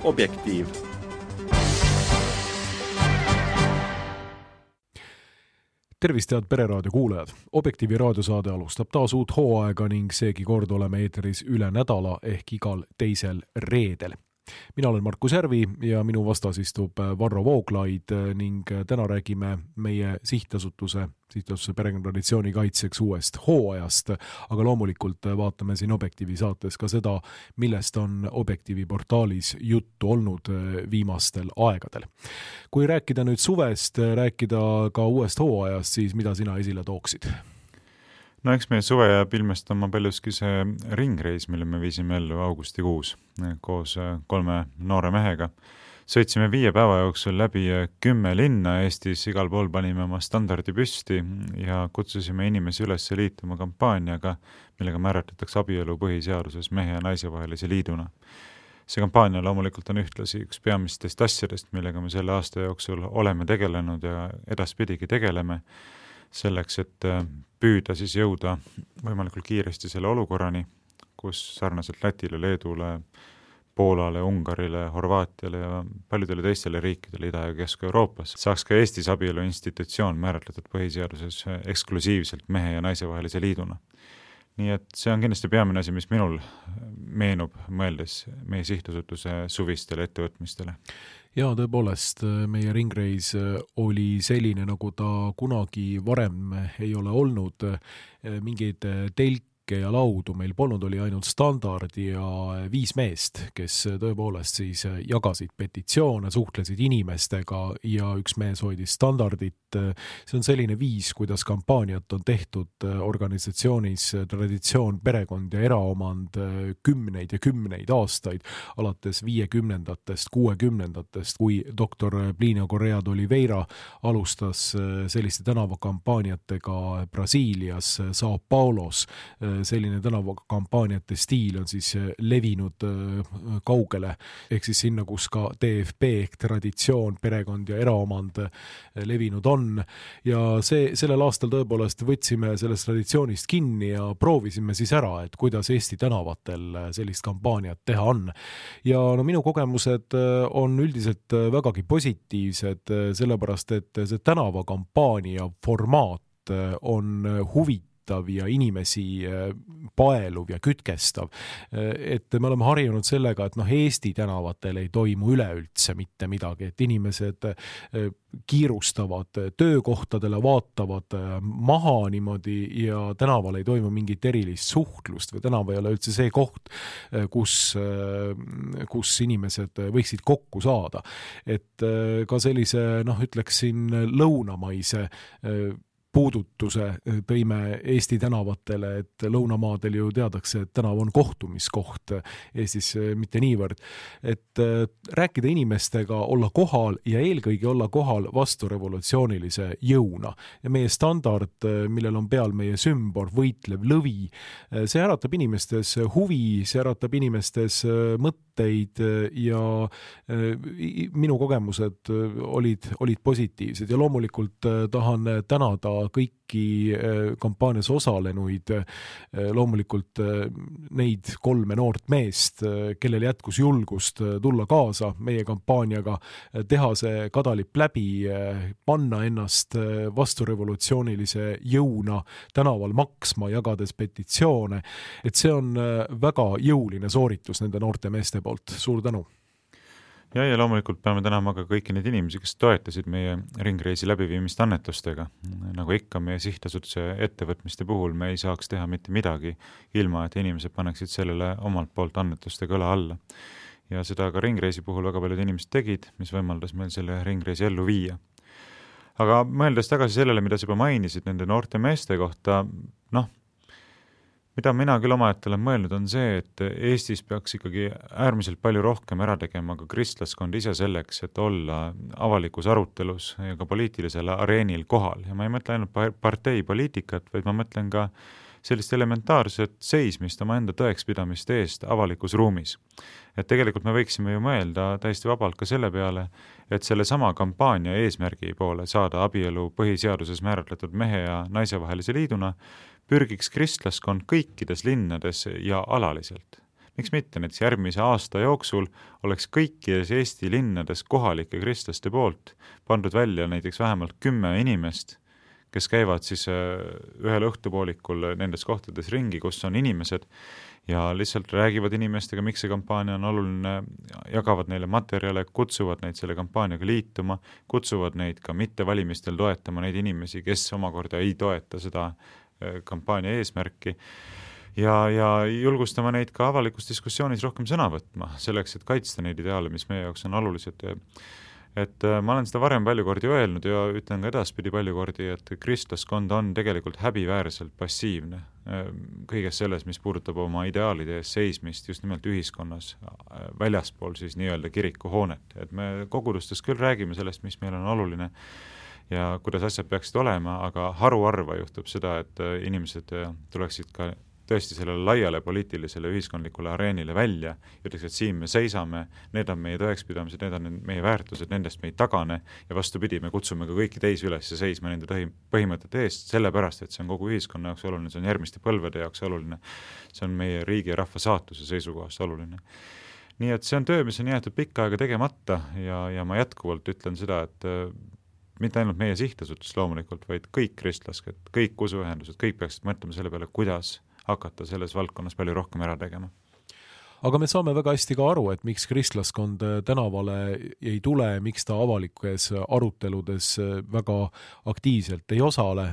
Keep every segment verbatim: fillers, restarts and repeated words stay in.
Objektiiv. Tervist, head Pereraadio kuulajad! Objektiivi raadiosaade alustab taas uut hooaega ning seegi kord oleme eetris üle nädala ehk igal teisel reedel. Mina olen Markus Järvi ja minu vastas istub Varro Vooglaid ning täna räägime meie sihtasutuse, sihtasutuse perekonnatraditsiooni kaitseks uuest hooajast, aga loomulikult vaatame siin Objektiivi saates ka seda, millest on Objektiivi portaalis juttu olnud viimastel aegadel. Kui rääkida nüüd suvest, rääkida ka uuest hooajast, siis mida sina esile tooksid? No eks meie suve jääb ilmestama paljuski see ringreis, mille me viisime ellu augustikuus koos kolme noore mehega. Sõitsime viie päeva jooksul läbi kümme linna Eestis, igal pool panime oma standardi püsti ja kutsusime inimesi üles liituma kampaaniaga, millega määratletakse abielu põhiseaduses mehe ja naise vahelise liiduna. See kampaania loomulikult on ühtlasi üks peamistest asjadest, millega me selle aasta jooksul oleme tegelenud ja edaspidigi tegeleme, selleks, et püüda siis jõuda võimalikult kiiresti selle olukorrani, kus sarnaselt Lätile, Leedule, Poolale, Ungarile, Horvaatiale ja paljudele teistele riikidele Ida- ja Kesk-Euroopas saaks ka Eestis abielu institutsioon määratletud põhiseaduses eksklusiivselt mehe ja naise vahelise liiduna. Nii et see on kindlasti peamine asi, mis minul meenub mõeldes meie sihtasutuse suvistele ettevõtmistele. Ja tõepoolest, meie ringreis oli selline, nagu ta kunagi varem ei ole olnud. Mingeid telke ja laudu meil polnud, oli ainult standard ja viis meest, kes tõepoolest siis jagasid petitsioone, suhtlesid inimestega ja üks mees hoidis standardit. See on selline viis, kuidas kampaaniat on tehtud organisatsioonis traditsioon, perekond ja eraomand kümneid ja kümneid aastaid, alates viiekümnendatest, kuuekümnendatest, kui doktor Plinio Correa de Oliveira alustas selliste tänavakampaaniatega Brasiilias, Sao Paulos. Selline tänavakampaaniate stiil on siis levinud kaugele, ehk siis sinna, kus ka T F P ehk traditsioon, perekond ja eraomand levinud on. Ja see, sellel aastal tõepoolest võtsime sellest traditsioonist kinni ja proovisime siis ära, et kuidas Eesti tänavatel sellist kampaaniat teha on. Ja no minu kogemused on üldiselt vägagi positiivsed, sellepärast, et see tänavakampaania formaat on huvitav ja inimesi paeluv ja kütkestav. Et me oleme harjunud sellega, et noh, Eesti tänavatel ei toimu üleüldse mitte midagi, et inimesed kiirustavad töökohtadele, vaatavad maha niimoodi ja tänaval ei toimu mingit erilist suhtlust või tänav ei ole üldse see koht, kus, kus inimesed võiksid kokku saada. Et ka sellise, noh, ütleksin lõunamaise puudutuse tõime Eesti tänavatele, et lõunamaadel ju teadakse, et tänav on kohtumiskoht, Eestis mitte niivõrd. Et rääkida inimestega, olla kohal ja eelkõige olla kohal vastu revolutsioonilise jõuna. Ja meie standard, millel on peal meie sümbol, võitlev lõvi, see äratab inimestes huvi, see äratab inimestes mõtteid ja minu kogemused olid, olid positiivsed ja loomulikult tahan tänada kõiki kampaanias osalenuid, loomulikult neid kolme noort meest, kellel jätkus julgust tulla kaasa meie kampaaniaga, teha see kadalipp läbi, panna ennast vastu revolutsioonilise jõuna tänaval maksma, jagades petitsioone, et see on väga jõuline sooritus nende noorte meeste poolt. Suur tänu! Ja, ja loomulikult peame tänama ka kõiki neid inimesi, kes toetasid meie ringreisi läbiviimist annetustega. Nagu ikka meie sihtasutuse ettevõtmiste puhul me ei saaks teha mitte midagi, ilma et inimesed paneksid sellele omalt poolt annetustega õla alla. Ja seda ka ringreisi puhul väga paljud inimesed tegid, mis võimaldas meil selle ringreisi ellu viia. Aga mõeldes tagasi sellele, mida sa juba mainisid nende noorte meeste kohta, noh, mida mina küll omaette olen mõelnud, on see, et Eestis peaks ikkagi äärmiselt palju rohkem ära tegema ka kristlaskond ise selleks, et olla avalikus arutelus ja ka poliitilisel areenil kohal. Ja ma ei mõtle ainult partei poliitikat, vaid ma mõtlen ka sellist elementaarset seismist oma enda tõekspidamist eest avalikus ruumis. Et tegelikult me võiksime ju mõelda täiesti vabalt ka selle peale, et selle sama kampaania eesmärgi poole saada abielu põhiseaduses määratletud mehe ja naise vahelise liiduna pürgiks kristlaskond kõikides linnades ja alaliselt. miks mitte, näiteks järgmise aasta jooksul oleks kõikides Eesti linnades kohalike kristlaste poolt pandud välja näiteks vähemalt kümme inimest, kes käivad siis ühel õhtupoolikul nendes kohtades ringi, kus on inimesed ja lihtsalt räägivad inimestega, miks see kampaania on oluline, jagavad neile materjale, kutsuvad neid selle kampaaniaga liituma, kutsuvad neid ka mitte valimistel toetama neid inimesi, kes omakorda ei toeta seda kampaania eesmärki ja, ja julgustama neid ka avalikus diskussioonis rohkem sõna võtma, selleks, et kaitsta neid ideaale, mis meie jaoks on olulised. Et ma olen seda varem palju kordi öelnud ja ütlen ka edaspidi palju kordi, et kristlaskond on tegelikult häbiväärselt passiivne kõiges selles, mis puudutab oma ideaalide ees seismist just nimelt ühiskonnas, väljaspool siis nii-öelda kirikuhoonet. Et me kogudustes küll räägime sellest, mis meil on oluline ja kuidas asjad peaksid olema, aga haruharva juhtub seda, et inimesed tuleksid ka tõesti sellele laiale poliitilisele ühiskondlikule areenile välja, ütleks, et siin me seisame, need on meie tõekspidamised, need on meie väärtused, nendest me ei tagane ja vastupidi, me kutsume ka kõiki teisi üles seisma nende põhimõtete eest, sellepärast, et see on kogu ühiskonna jaoks oluline, see on järgmiste põlvede jaoks oluline, see on meie riigi ja rahva saatuse seisukohast oluline. Nii et see on töö, mis on jäetud pikka aega tegemata ja, ja ma jätkuvalt ütlen seda, et mitte ainult meie sihtasutus loomulikult, vaid kõik kristlasked, kõik usuühendused, kõik peaksid mõtlema selle peale, kuidas hakata selles valdkonnas palju rohkem ära tegema. Aga me saame väga hästi ka aru, et miks kristlaskond tänavale ei tule, miks ta avalikes aruteludes väga aktiivselt ei osale,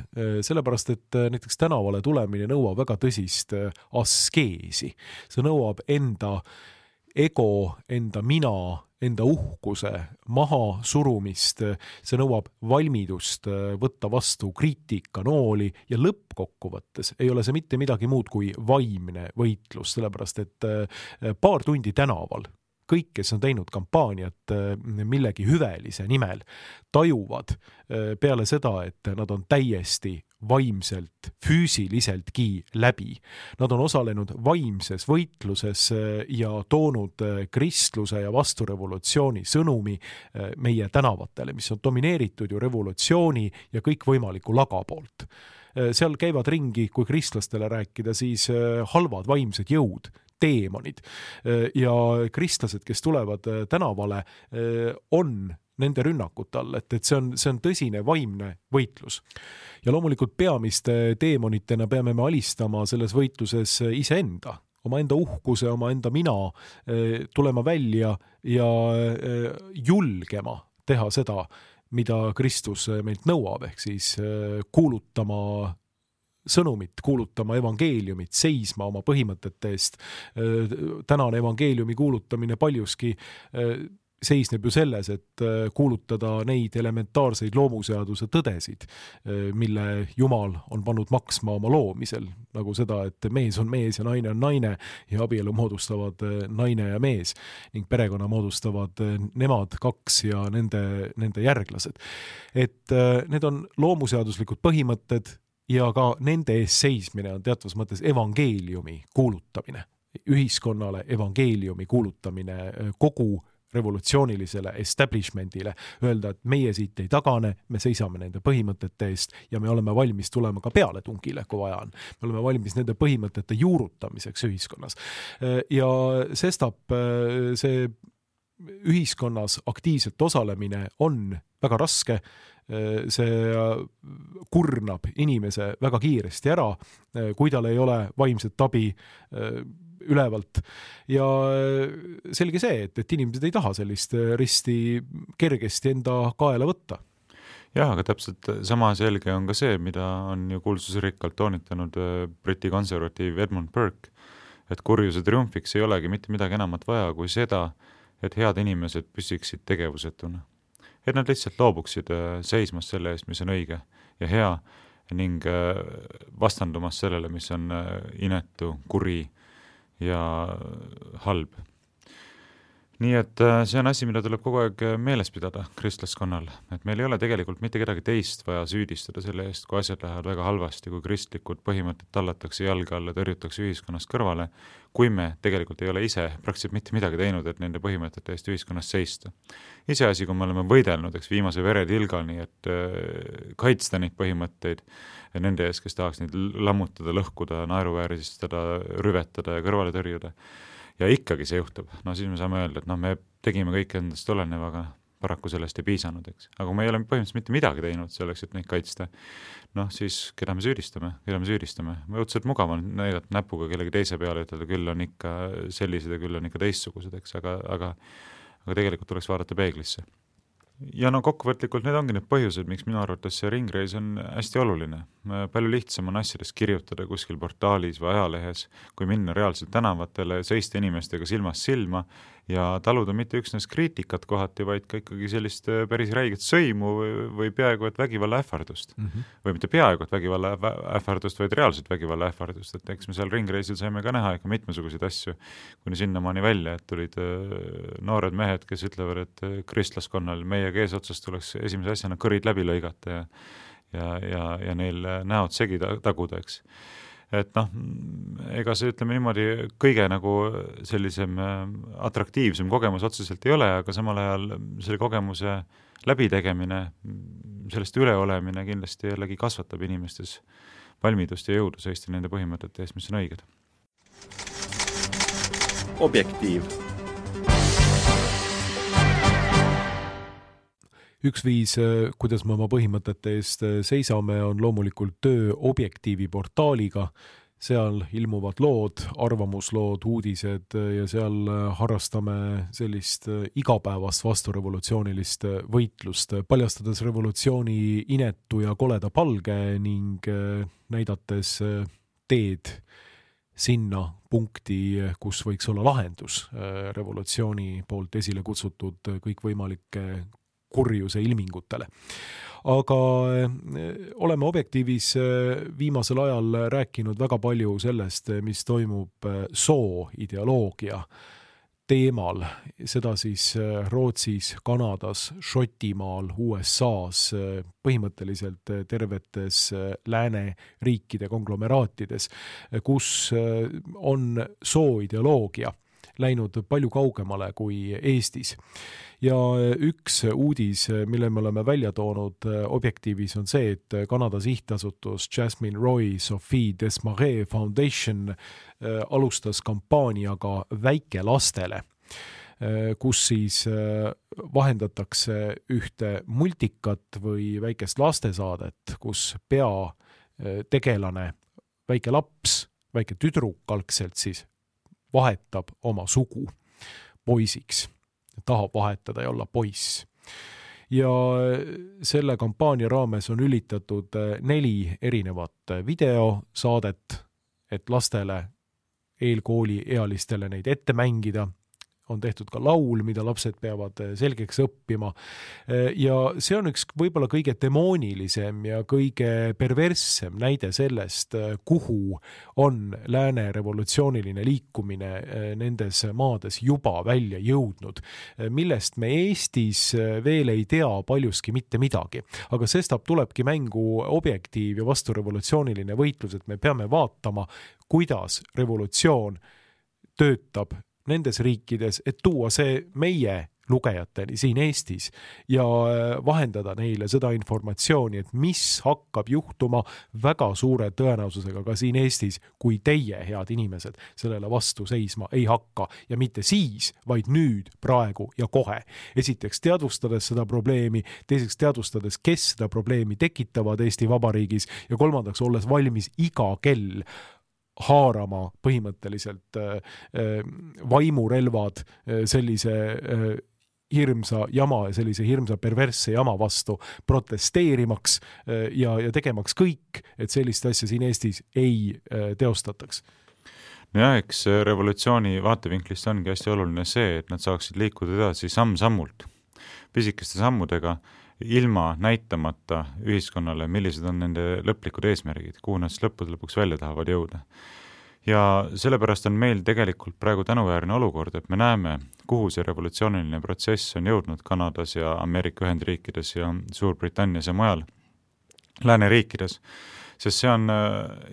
sellepärast, et näiteks tänavale tulemine nõuab väga tõsist askeesi. See nõuab enda ego, enda mina, enda uhkuse maha surumist, see nõuab valmidust võtta vastu kriitika nooli ja lõppkokkuvõttes ei ole see mitte midagi muud kui vaimne võitlus, sellepärast et paar tundi tänaval kõik, kes on teinud kampaaniat millegi hüvelise nimel, tajuvad peale seda, et nad on täiesti vaimselt, füüsiliseltki läbi. Nad on osalenud vaimses võitluses ja toonud kristluse ja vasturevolutsiooni sõnumi meie tänavatele, mis on domineeritud ju revolutsiooni ja kõikvõimaliku laga poolt. Seal käivad ringi, kui kristlastele rääkida, siis halvad vaimsed jõud, teemonid ja kristlased, kes tulevad tänavale, on nende rünnakute all, et, et see on, see on tõsine vaimne võitlus. Ja loomulikult peamiste teemonitena peame me alistama selles võitluses iseenda, oma enda uhkuse, oma enda mina, tulema välja ja julgema teha seda, mida Kristus meilt nõuab, ehk siis kuulutama sõnumit, kuulutama evangeeliumit, seisma oma põhimõtete eest. Tänane evangeeliumi kuulutamine paljuski seisneb ju selles, et kuulutada neid elementaarseid loomuseaduse tõdesid, mille Jumal on pannud maksma oma loomisel, nagu seda, et mees on mees ja naine on naine ja abielu moodustavad naine ja mees ning perekonna moodustavad nemad kaks ja nende, nende järglased. Et need on loomuseaduslikud põhimõtted ja ka nende ees seismine on teatvas mõttes evangeeliumi kuulutamine, ühiskonnale evangeeliumi kuulutamine kogu revolutsioonilisele establishmentile, öelda, et meie siit ei tagane, me seisame nende põhimõtete eest ja me oleme valmis tulema ka pealetungile, kui vaja on. Me oleme valmis nende põhimõtete juurutamiseks ühiskonnas. Ja sestap see ühiskonnas aktiivselt osalemine on väga raske, see kurnab inimese väga kiiresti ära, kui tal ei ole vaimset abi ülevalt ja selge see, et, et inimesed ei taha sellist risti kergesti enda kaela võtta. Jah, aga täpselt sama selge on ka see, mida on ju kuulsusrikkalt toonitanud Briti konservatiiv Edmund Burke, et kurjuse triumfiks ei olegi mitte midagi enamat vaja kui seda, et head inimesed püsiksid tegevusetuna. Et nad lihtsalt loobuksid seismast selle eest, mis on õige ja hea ning vastandumas sellele, mis on inetu, kuri ja halb. Nii et see on asi, mida tuleb kogu aeg meeles pidada kristlaskonnal, et meil ei ole tegelikult mitte kedagi teist vaja süüdistada selle eest, kui asjad lähevad väga halvasti, kui kristlikud põhimõtted tallatakse jalge alla, tõrjutakse ühiskonnast kõrvale, kui me tegelikult ei ole ise praktiliselt mitte midagi teinud, et nende põhimõtete eest ühiskonnas seista. Iseasi, kui me oleme võidelnud, eks viimase veretilgani, et kaitsta neid põhimõtteid nende ees, kes tahaks neid lammutada, lõhkuda, naeruvääristada, rüvetada ja kõrvale tõrjuda. ja ikkagi see juhtub, no siis me saame öelda, et noh, me tegime kõik endast olenev, aga paraku sellest ei piisanud, eks. Aga kui me ei ole põhimõtteliselt mitte midagi teinud selleks, et neid kaitsta, noh siis keda me süüdistame, keda me süüdistame. Me õudselt mugav on näidata näpuga kellegi teise peale, ütelda küll on ikka sellised ja küll on ikka teistsugused, eks, aga, aga, aga tegelikult tuleks vaadata peeglisse. Ja no kokkuvõtlikult need ongi need põhjused, miks minu arvates see ringreis on hästi oluline. Palju lihtsam on asjadest kirjutada kuskil portaalis või ajalehes, kui minna reaalselt tänavatele, seista inimestega silmast silma ja taluda mitte üksnes kriitikat kohati, vaid ka ikkagi sellist päris räiget sõimu või, või peaaegu et vägivalla ähvardust. Mm -hmm. Või mitte peaaegu et vägivalla ähvardust, vaid reaalselt vägivalla ähvardust. Et eks me seal ringreisil saime ka näha ikka mitmesuguseid asju, kuni sinnamaani välja, et tulid noored mehed, kes ütlevad, et kristlaskonnal meie eesotsast tuleks esimese asjana kõrid läbi lõigata ja, ja, ja, ja neil näod segi taguda, eks. Et noh, ega see ütleme niimoodi kõige nagu sellisem atraktiivsem kogemus otseselt ei ole, aga samal ajal selle kogemuse läbitegemine, sellest üleolemine kindlasti jällegi kasvatab inimestes valmidust ja jõudu seista nende põhimõtete eest, mis on õiged. Objektiiv. Üks viis, kuidas me oma põhimõtete eest seisame, on loomulikult töö Objektiivi portaaliga. Seal ilmuvad lood, arvamuslood, uudised ja seal harrastame sellist igapäevast vasturevolutsioonilist võitlust, paljastades revolutsiooni inetu ja koleda palge ning näidates teed sinna punkti, kus võiks olla lahendus revolutsiooni poolt esile kutsutud kõikvõimalike kurjuse ilmingutele. Aga oleme Objektiivis viimasel ajal rääkinud väga palju sellest, mis toimub sooideoloogia teemal, seda siis Rootsis, Kanadas, Šotimaal, U S A-s, põhimõtteliselt tervetes lääne riikide konglomeraatides, kus on sooideoloogia läinud palju kaugemale kui Eestis. Ja üks uudis, mille me oleme välja toonud Objektiivis, on see, et Kanada sihtasutus Jasmine Roy Sophie Desmarais Foundation alustas kampaaniaga väikelastele, kus siis vahendatakse ühte multikat või väikest lastesaadet, kus peategelane, väike laps, väike tüdruk algselt siis vahetab oma sugu poisiks, tahab vahetada ja olla poiss. Ja selle kampaania raames on ülitatud neli erinevat videosaadet, et lastele, eelkooli ealistele neid ette mängida. On tehtud ka laul, mida lapsed peavad selgeks õppima. Ja see on üks võib-olla kõige demoonilisem ja kõige perverssem näide sellest, kuhu on lääne revolutsiooniline liikumine nendes maades juba välja jõudnud, millest me Eestis veel ei tea paljuski mitte midagi. Aga sestap tulebki mängu Objektiiv ja vasturevolutsiooniline võitlus, et me peame vaatama, kuidas revolutsioon töötab nendes riikides, et tuua see meie lugejateni siin Eestis ja vahendada neile seda informatsiooni, et mis hakkab juhtuma väga suure tõenäosusega ka siin Eestis, kui teie, head inimesed, sellele vastu seisma ei hakka ja mitte siis, vaid nüüd, praegu ja kohe. Esiteks teadvustades seda probleemi, teiseks teadvustades, kes seda probleemi tekitavad Eesti Vabariigis ja kolmandaks olles valmis iga kell haarama põhimõtteliselt vaimurelvad sellise hirmsa jama ja sellise hirmsa perversse jama vastu protesteerimaks ja, ja tegemaks kõik, et sellist asja siin Eestis ei teostataks. No ja eks revolutsiooni vaatevinklist ongi hästi oluline see, et nad saaksid liikuda edasi samm-sammult, pisikeste sammudega, ilma näitamata ühiskonnale, millised on nende lõplikud eesmärgid, kuhu nad lõppude lõpuks välja tahavad jõuda. Ja sellepärast on meil tegelikult praegu tänuväärne olukord, et me näeme, kuhu see revolutsiooniline protsess on jõudnud Kanadas ja Ameerika Ühendriikides ja Suurbritannias ja mujal lääneriikides, sest see on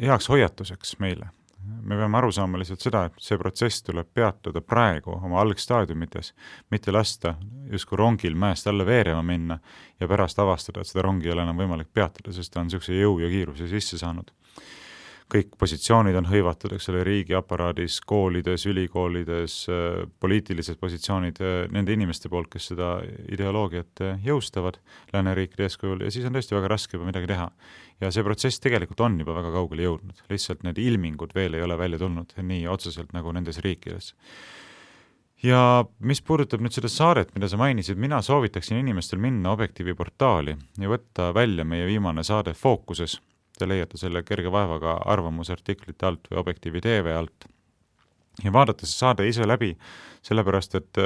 heaks hoiatuseks meile. Me peame aru saama lihtsalt seda, et see protsess tuleb peatada praegu oma algstaadiumites, mitte lasta justkui rongil mäest alla veerema minna ja pärast avastada, et seda rongi ei ole enam võimalik peatada, sest ta on niisuguse jõu ja kiiruse sisse saanud. kõik positsioonid on hõivatud, eks ole, riigiaparaadis, koolides, ülikoolides, poliitilised positsioonid nende inimeste poolt, kes seda ideoloogiat jõustavad lääneriikide eeskujul, ja siis on tõesti väga raske juba midagi teha. Ja see protsess tegelikult on juba väga kaugele jõudnud, lihtsalt need ilmingud veel ei ole välja tulnud nii otseselt nagu nendes riikides. Ja mis puudutab nüüd seda saadet, mida sa mainisid, mina soovitaksin inimestel minna Objektiivi portaali ja võtta välja meie viimane saade Fookuses. Te leiate selle kerge vaevaga arvamusartiklite alt või Objektiivi T V alt. Ja vaadata see saade ise läbi, sellepärast, et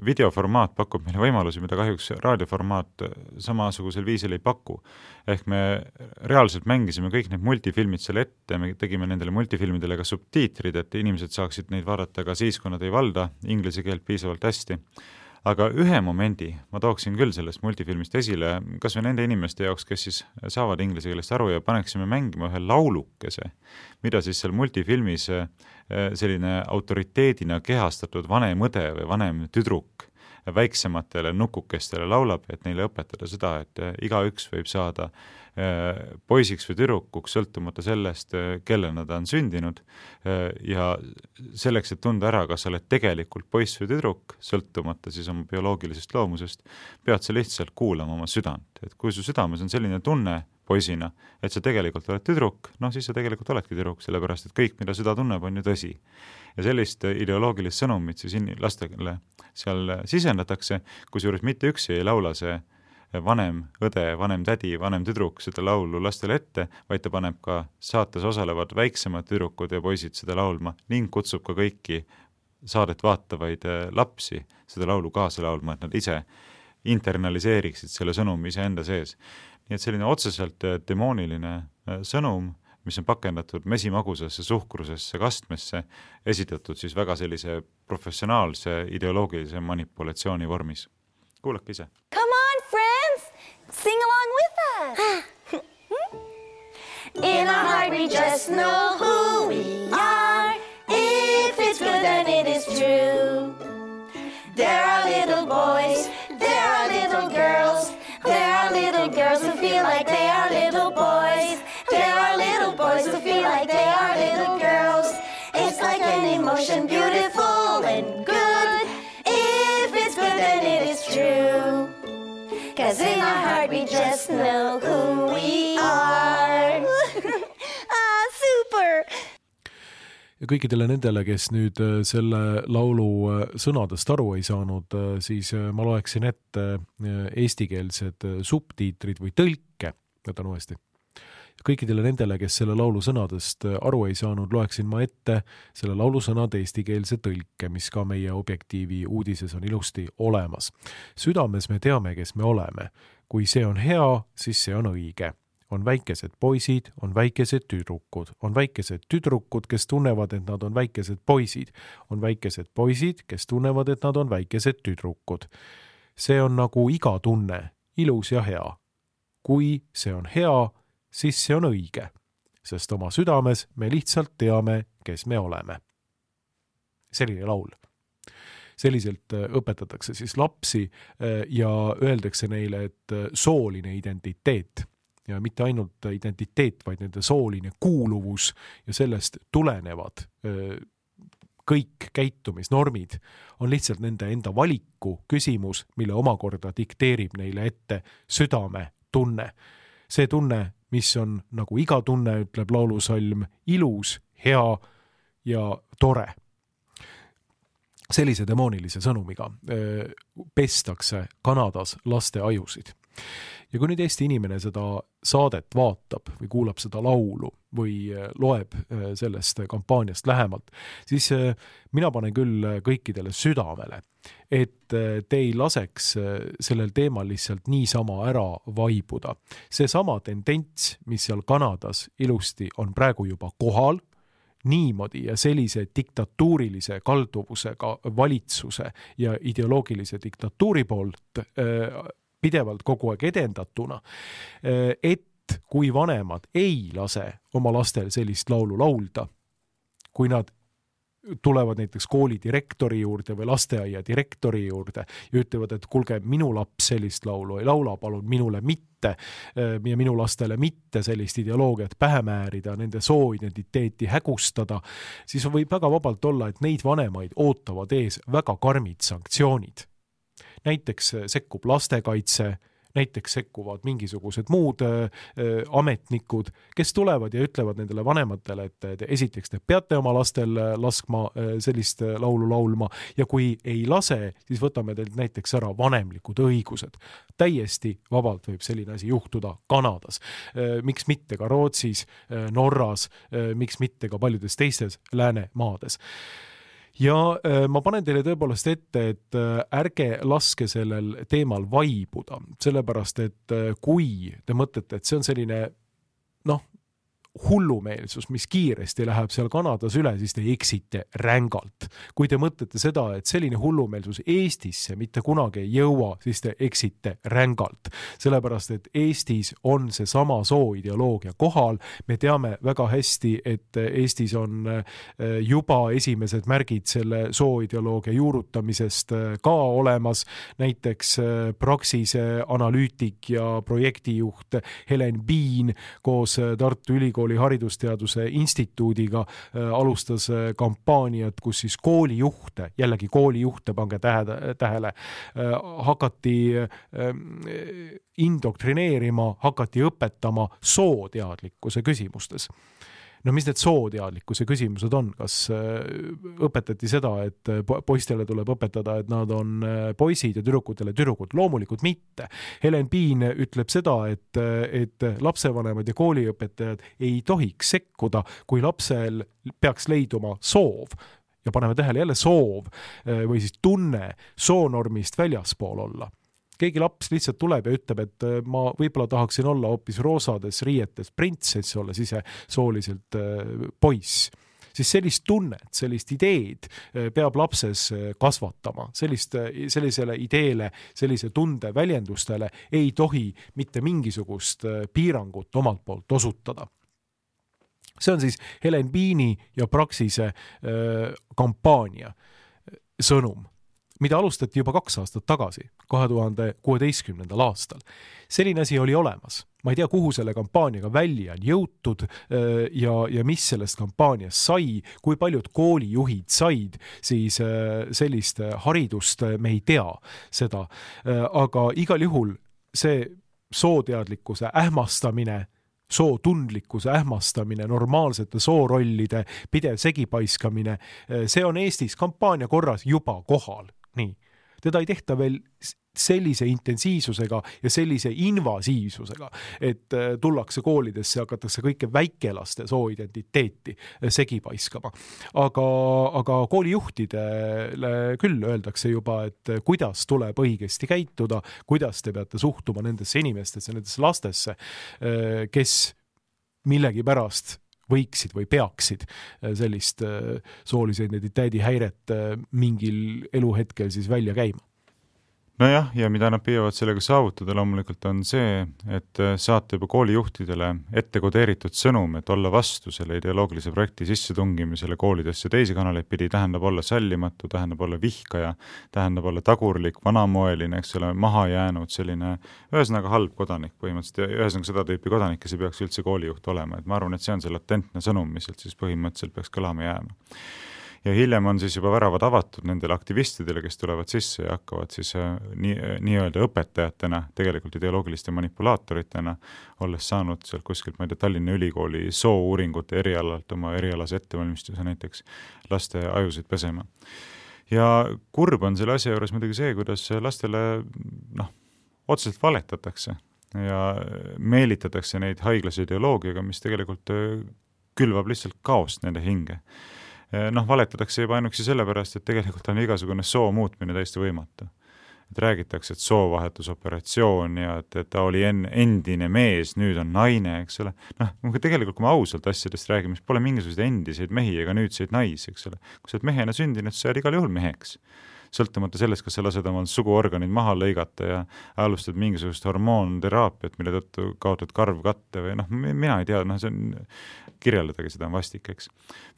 videoformaat pakub meile võimalusi, mida kahjuks raadioformaat samasugusel viisil ei paku. Ehk me reaalselt mängisime kõik need multifilmid selle ette, me tegime nendele multifilmidele ka subtiitrid, et inimesed saaksid neid vaadata ka siis, kui nad ei valda inglise keelt piisavalt hästi. Aga ühe momendi ma tooksin küll sellest multifilmist esile, kas või nende inimeste jaoks, kes siis saavad inglise keelest aru ja paneksime mängima ühe laulukese, mida siis seal multifilmis selline autoriteedina kehastatud vanem õde või vanem tüdruk väiksematele nukukestele laulab, et neile õpetada seda, et igaüks võib saada poisiks või tüdrukuks, sõltumata sellest, kelle nad on sündinud, ja selleks, et tunda ära, kas sa oled tegelikult poiss või tüdruk, sõltumata siis oma bioloogilisest loomusest, pead sa lihtsalt kuulama oma südant. Et kui su südames on selline tunne poisina, et sa tegelikult oled tüdruk, noh siis sa tegelikult oledki tüdruk, sellepärast et kõik, mida süda tunneb, on ju tõsi. Ja sellist ideoloogilist sõnumit siis lastele seal sisendatakse, kusjuures mitte üksi ei laula see vanem õde, vanem tädi, vanem tüdruk seda laulu lastele ette, vaid ta paneb ka saates osalevad väiksemad tüdrukud ja poisid seda laulma ning kutsub ka kõiki saadet vaatavaid lapsi seda laulu kaasa laulma, et nad ise internaliseeriksid selle sõnumi ise enda sees. Nii et selline otseselt demooniline sõnum, mis on pakendatud mesimagusesse, suhkrusesse, kastmesse, esitatud siis väga sellise professionaalse ideoloogilise manipulatsiooni vormis. Kuulake ise. Come on, friends! Sing along with us! In our heart we just know who we are. If it's good then it is true. There are little boys, there are little girls, there are little girls who feel like they are little boys. There are little boys who feel like they are little girls. It's like an emotion, beautiful and good. If it's good, then it is true. 'Cause in our heart we just know who we are. Ah, super! Ja kõikidele nendele, kes nüüd selle laulu sõnadest aru ei saanud, siis ma loeksin ette eestikeelsed subtiitrid või tõlke, võtan uuesti. Kõikidele nendele, kes selle laulu sõnadest aru ei saanud, loeksin ma ette selle laulu sõnade eestikeelse tõlke, mis ka meie Objektiivi uudises on ilusti olemas. Südames me teame, kes me oleme. Kui see on hea, siis see on õige. On väikesed poisid, on väikesed tüdrukud, on väikesed tüdrukud, kes tunnevad, et nad on väikesed poisid, on väikesed poisid, kes tunnevad, et nad on väikesed tüdrukud. See on nagu iga tunne, ilus ja hea. Kui see on hea, siis see on õige, sest oma südames me lihtsalt teame, kes me oleme. Selline laul. Selliselt õpetatakse siis lapsi ja öeldakse neile, et sooline identiteet ja mitte ainult identiteet, vaid nende sooline kuuluvus ja sellest tulenevad kõik käitumisnormid on lihtsalt nende enda valiku küsimus, mille omakorda dikteerib neile ette südame tunne. See tunne, mis on nagu iga tunne, ütleb laulusalm, ilus, hea ja tore. Sellise demoonilise sõnumiga pestakse Kanadas laste ajusid. Ja kui nüüd Eesti inimene seda saadet vaatab või kuulab seda laulu või loeb sellest kampaaniast lähemalt, siis mina panen küll kõikidele südamele, et te ei laseks sellel teemal lihtsalt niisama ära vaibuda. See sama tendents, mis seal Kanadas ilusti on praegu juba kohal, niimoodi ja sellise diktatuurilise kalduvusega valitsuse ja ideoloogilise diktatuuri poolt pidevalt kogu aeg edendatuna, et kui vanemad ei lase oma lastel sellist laulu laulda, kui nad tulevad näiteks kooli direktori juurde või lasteaia direktori juurde ja ütlevad, et kuulge, minu laps sellist laulu ei laula, palun minule mitte ja minu lastele mitte sellist ideoloogiat pähe määrida, nende sooidentiteeti hägustada, siis võib väga vabalt olla, et neid vanemaid ootavad ees väga karmid sanktsioonid. Näiteks sekkub lastekaitse, näiteks sekkuvad mingisugused muud äh, ametnikud, kes tulevad ja ütlevad nendele vanematele, et te, esiteks te peate oma lastel laskma äh, sellist laulu laulma ja kui ei lase, siis võtame teilt näiteks ära vanemlikud õigused. Täiesti vabalt võib selline asi juhtuda Kanadas. Äh, miks mitte ka Rootsis, äh, Norras, äh, miks mitte ka paljudes teistes läänemaades. Ja äh, ma panen teile tõepoolest ette, et äh, ärge laske sellel teemal vaibuda, sellepärast et äh, kui te mõtlete, et see on selline noh, hullumeelsus, mis kiiresti läheb seal Kanadas üle, siis te eksite rängalt. Kui te mõtlete seda, et selline hullumeelsus Eestisse mitte kunagi ei jõua, siis te eksite rängalt. Sellepärast, et Eestis on see sama sooideoloogia kohal. Me teame väga hästi, et Eestis on juba esimesed märgid selle sooideoloogia juurutamisest ka olemas. Näiteks Praxise analüütik ja projektijuht Helen Biin koos Tartu Ülikooli oli haridusteaduse instituudiga äh, alustas äh, kampaaniat, kus siis koolijuhte, jällegi koolijuhte, pange tähe, tähele, äh, hakati äh, indoktrineerima, hakati õpetama sooteadlikkuse küsimustes. No mis need sooteadlikkuse küsimused on? Kas õpetati seda, et poistele tuleb õpetada, et nad on poisid ja tüdrukutele tüdrukud? Loomulikult mitte. Helen Biin ütleb seda, et, et lapsevanemad ja kooliõpetajad ei tohiks sekkuda, kui lapsel peaks leiduma soov. Ja paneme tähele jälle soov või siis tunne soonormist väljaspool olla. Keegi laps lihtsalt tuleb ja ütleb, et ma võib-olla tahaksin olla hoopis roosades riietes printsess, olles ise sooliselt poiss. Siis sellist tunnet, sellist ideed peab lapses kasvatama. Sellist, sellisele ideele, sellise tunde väljendustele ei tohi mitte mingisugust piirangut omalt poolt osutada. See on siis Helen Biini ja Praxise kampaania sõnum, mida alustati juba kaks aastat tagasi, kahe tuhande kuueteistkümnendal aastal. Selline asi oli olemas. Ma ei tea, kuhu selle kampaaniaga välja on jõutud ja, ja mis sellest kampaaniast sai, kui paljud koolijuhid said, siis sellist haridust me ei tea seda. Aga igal juhul see sooteadlikkuse ähmastamine, sootundlikkuse ähmastamine, normaalsete soorollide pidev segipaiskamine, see on Eestis kampaania korras juba kohal. Nii. Teda ei tehta veel sellise intensiivsusega ja sellise invasiivsusega, et tullakse koolidesse ja hakatakse kõike väikelaste sooidentiteeti segipaiskama. Aga, aga koolijuhtidele küll öeldakse juba, et kuidas tuleb õigesti käituda, kuidas te peate suhtuma nendesse inimestesse, nendesse lastesse, kes millegi pärast võiksid või peaksid sellist soolise identiteedi häiret mingil eluhetkel siis välja käima. Nojah, ja mida nad püüavad sellega saavutada loomulikult on see, et saate juba koolijuhtidele ette kodeeritud sõnum, et olla vastu selle ideoloogilise projekti sissetungimisele koolidesse teisi kanaleid pidi, tähendab olla sallimatu, tähendab olla vihkaja, tähendab olla tagurlik, vanamoeline, eks ole, maha jäänud selline ühesõnaga halb kodanik põhimõtteliselt ja ühesõnaga seda tüüpi kodanik, kes ei peaks üldse koolijuht olema. Et ma arvan, et see on see latentne sõnum, mis siis põhimõtteliselt peaks kõlama jääma. Ja hiljem on siis juba väravad avatud nendele aktivistidele, kes tulevad sisse ja hakkavad siis nii, nii-öelda õpetajatena, tegelikult ideoloogiliste manipulaatoritena, olles saanud sealt kuskilt, ma ei tea, Tallinna Ülikooli soo-uuringute erialalt oma erialase ettevalmistuse näiteks laste ajusid pesema. Ja kurb on selle asja juures muidugi see, kuidas lastele noh, otseselt valetatakse ja meelitatakse neid haiglase ideoloogiaga, mis tegelikult külvab lihtsalt kaost nende hinge. Noh, valetatakse juba ainuksi sellepärast, et tegelikult on igasugune soo muutmine täiesti võimatu. Et räägitakse, et soovahetusoperatsioon ja et, et ta oli en, endine mees, nüüd on naine, eks ole. Noh, tegelikult kui me ausalt asjadest räägime, siis pole mingisuguseid endiseid mehi ega nüüdseid naisi, eks ole. Kui sa oled mehena sündinud, sa jääd igal juhul meheks. sõltumata sellest, kas sa lased omal suguorganid maha lõigata ja alustad mingisugust hormoonteraapiat, mille tõttu kaotad karvkatte või noh, mina ei tea, noh, see on, kirjeldadagi seda on vastik, eks.